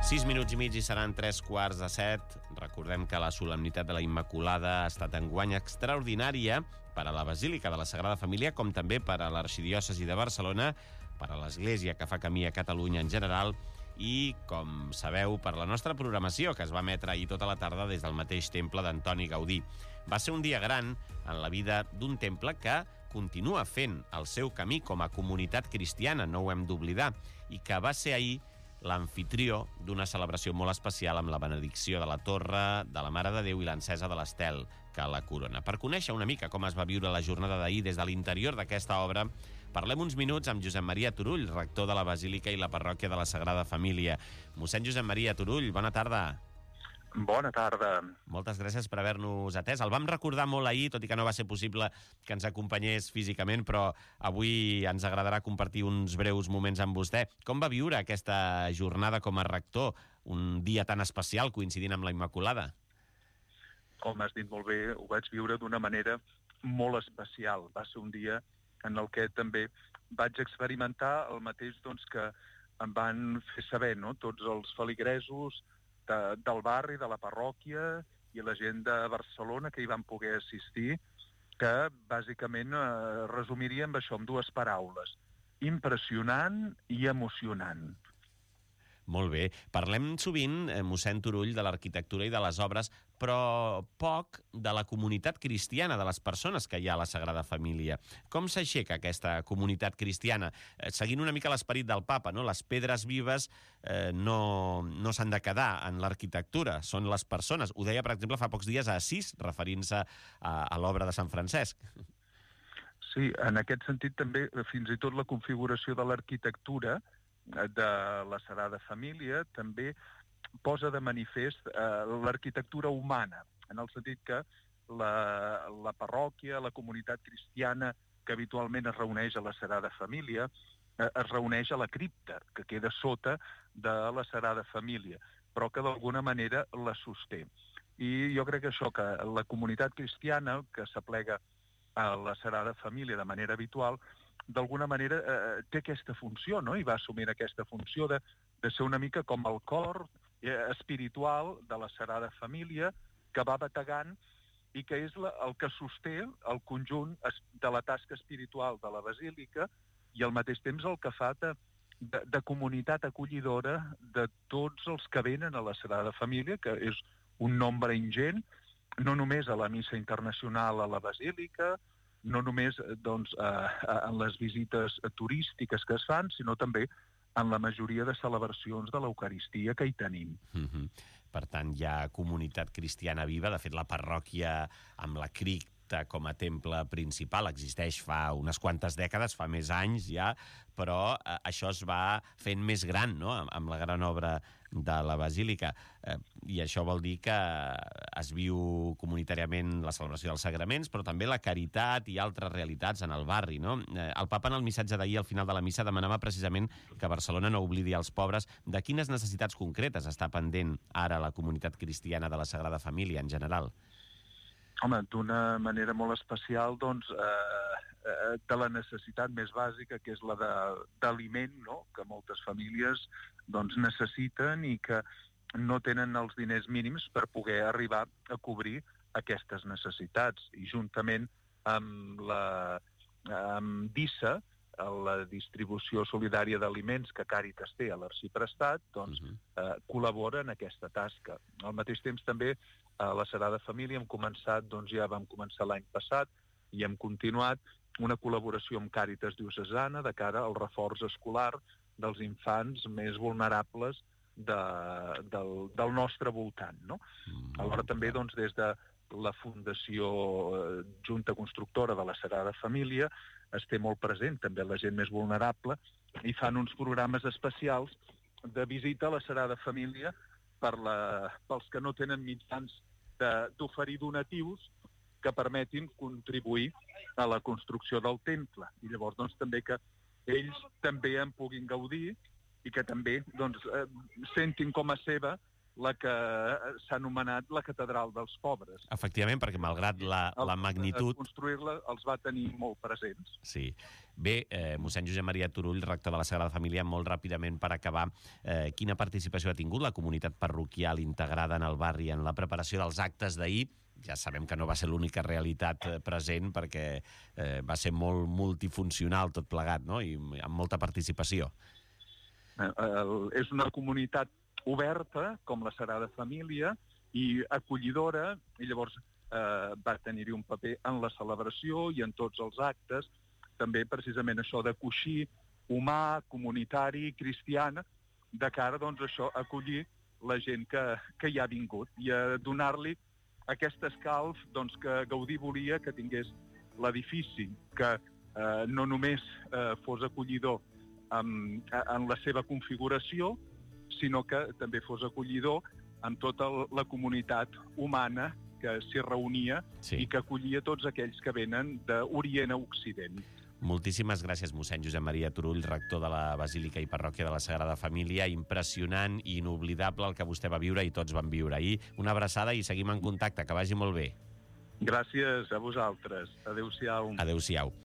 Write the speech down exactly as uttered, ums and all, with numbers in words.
Sis minuts i mig i seran tres quarts de set. Recordem que la solemnitat de la Immaculada ha estat enguany extraordinària per a la Basílica de la Sagrada Família, com també per a l'Arxidiòcesi de Barcelona, per a l'Església que fa camí a Catalunya en general i, com sabeu, per la nostra programació, que es va emetre ahir tota la tarda des del mateix temple d'Antoni Gaudí. Va ser un dia gran en la vida d'un temple que continua fent el seu camí com a comunitat cristiana, no ho hem d'oblidar, i que va ser ahir l'amfitrió d'una celebració molt especial amb la benedicció de la torre, de la Mare de Déu i l'encesa de l'estel que la corona. Per conèixer una mica com es va viure la jornada d'ahir des de l'interior d'aquesta obra, parlem uns minuts amb Josep Maria Turull, rector de la Basílica i la Parròquia de la Sagrada Família. Mossèn Josep Maria Turull, bona tarda. Bona tarda. Moltes gràcies per haver-nos atès. El vam recordar molt ahir, tot i que no va ser possible que ens acompanyés físicament, però avui ens agradarà compartir uns breus moments amb vostè. Com va viure aquesta jornada com a rector, un dia tan especial coincidint amb la Immaculada? Com has dit molt bé, ho vaig viure d'una manera molt especial. Va ser un dia en el que també vaig experimentar el mateix doncs, que em van fer saber, no? Tots els feligresos de, del barri, de la parròquia i la gent de Barcelona que hi van poder assistir, que bàsicament eh, resumiria amb això, amb dues paraules: impressionant i emocionant. Molt bé. Parlem sovint, eh, mossèn Turull, de l'arquitectura i de les obres, però poc de la comunitat cristiana, de les persones que hi ha a la Sagrada Família. Com s'aixeca aquesta comunitat cristiana? Eh, seguint una mica l'esperit del papa, no? Les pedres vives eh, no, no s'han de quedar en l'arquitectura, són les persones. Ho deia, per exemple, fa pocs dies a Assís, referint-se a, a l'obra de Sant Francesc. Sí, en aquest sentit també, fins i tot la configuració de l'arquitectura de la Sagrada Família també posa de manifest eh, l'arquitectura humana, en el sentit que la, la parròquia, la comunitat cristiana que habitualment es reuneix a la Sagrada Família, eh, es reuneix a la cripta, que queda sota de la Sagrada Família, però que d'alguna manera la sosté. I jo crec que això, que la comunitat cristiana que s'aplega a la Sagrada Família de manera habitual, d'alguna manera eh, té aquesta funció, no? I va assumir aquesta funció de, de ser una mica com el cor eh, espiritual de la Sagrada Família, que va bategant i que és la, el que sosté el conjunt de la tasca espiritual de la Basílica i al mateix temps el que fa de, de, de comunitat acollidora de tots els que venen a la Sagrada Família, que és un nombre ingent, no només a la missa internacional a la Basílica, no només doncs, eh, en les visites turístiques que es fan, sinó també en la majoria de celebracions de l'Eucaristia que hi tenim. Mm-hmm. Per tant, hi ha comunitat cristiana viva. De fet, la parròquia amb la cripta com a temple principal existeix fa unes quantes dècades, fa més anys ja, però eh, això es va fent més gran, no?, amb, amb la gran obra de la Basílica. Eh, I això vol dir que es viu comunitàriament la celebració dels sagraments, però també la caritat i altres realitats en el barri, no? Eh, el papa, en el missatge d'ahir, al final de la missa, demanava precisament que Barcelona no oblidi els pobres. De quines necessitats concretes està pendent ara la comunitat cristiana de la Sagrada Família en general? Home, d'una manera molt especial, doncs, eh, eh, de la necessitat més bàsica, que és la d'aliment, no?, que moltes famílies doncs, necessiten i que no tenen els diners mínims per poder arribar a cobrir aquestes necessitats. I juntament amb la amb D I S A, la distribució solidària d'aliments que Càritas té a l'Arxiprestat, doncs, uh-huh. eh, col·labora en aquesta tasca. Al mateix temps també a la Sagrada Família hem començat, doncs ja vam començar l'any passat i hem continuat una col·laboració amb Càritas Diocesana de cara al reforç escolar dels infants més vulnerables de, del, del nostre voltant, no? Mm, Alhora també doncs, des de la Fundació Junta Constructora de la Sagrada Família es té molt present també la gent més vulnerable i fan uns programes especials de visita a la Sagrada Família per la, pels que no tenen mitjans d'oferir donatius que permetin contribuir a la construcció del temple. I llavors doncs, també que ells també en puguin gaudir i que també doncs, eh, sentin com a seva la que s'ha anomenat la Catedral dels Pobres. Efectivament, perquè malgrat la, la magnitud... Construir-la els va tenir molt presents. Sí. Bé, eh, mossèn Josep Maria Turull, rector de la Sagrada Família, molt ràpidament per acabar, eh, quina participació ha tingut la comunitat parroquial integrada en el barri en la preparació dels actes d'ahir? Ja sabem que no va ser l'única realitat present, perquè eh, va ser molt multifuncional tot plegat, no? I amb molta participació. Eh, el, és una comunitat oberta, com la Sagrada Família, i acollidora, i llavors eh, va tenir-hi un paper en la celebració i en tots els actes, també precisament això de coixí humà, comunitari, cristiana, de cara, doncs, això, a acollir la gent que, que hi ha vingut i a donar-li aquest escalf, doncs, que Gaudí volia que tingués l'edifici, que eh, no només eh, fos acollidor en, en la seva configuració, sinó que també fos acollidor amb tota la comunitat humana que s'hi reunia, sí, i que acollia tots aquells que venen d'Orient a Occident. Moltíssimes gràcies, mossèn Josep Maria Turull, rector de la Basílica i Parròquia de la Sagrada Família. Impressionant i inoblidable el que vostè va viure i tots van viure ahir. Una abraçada i seguim en contacte. Que vagi molt bé. Gràcies a vosaltres. Adéu-siau. Adéu-siau.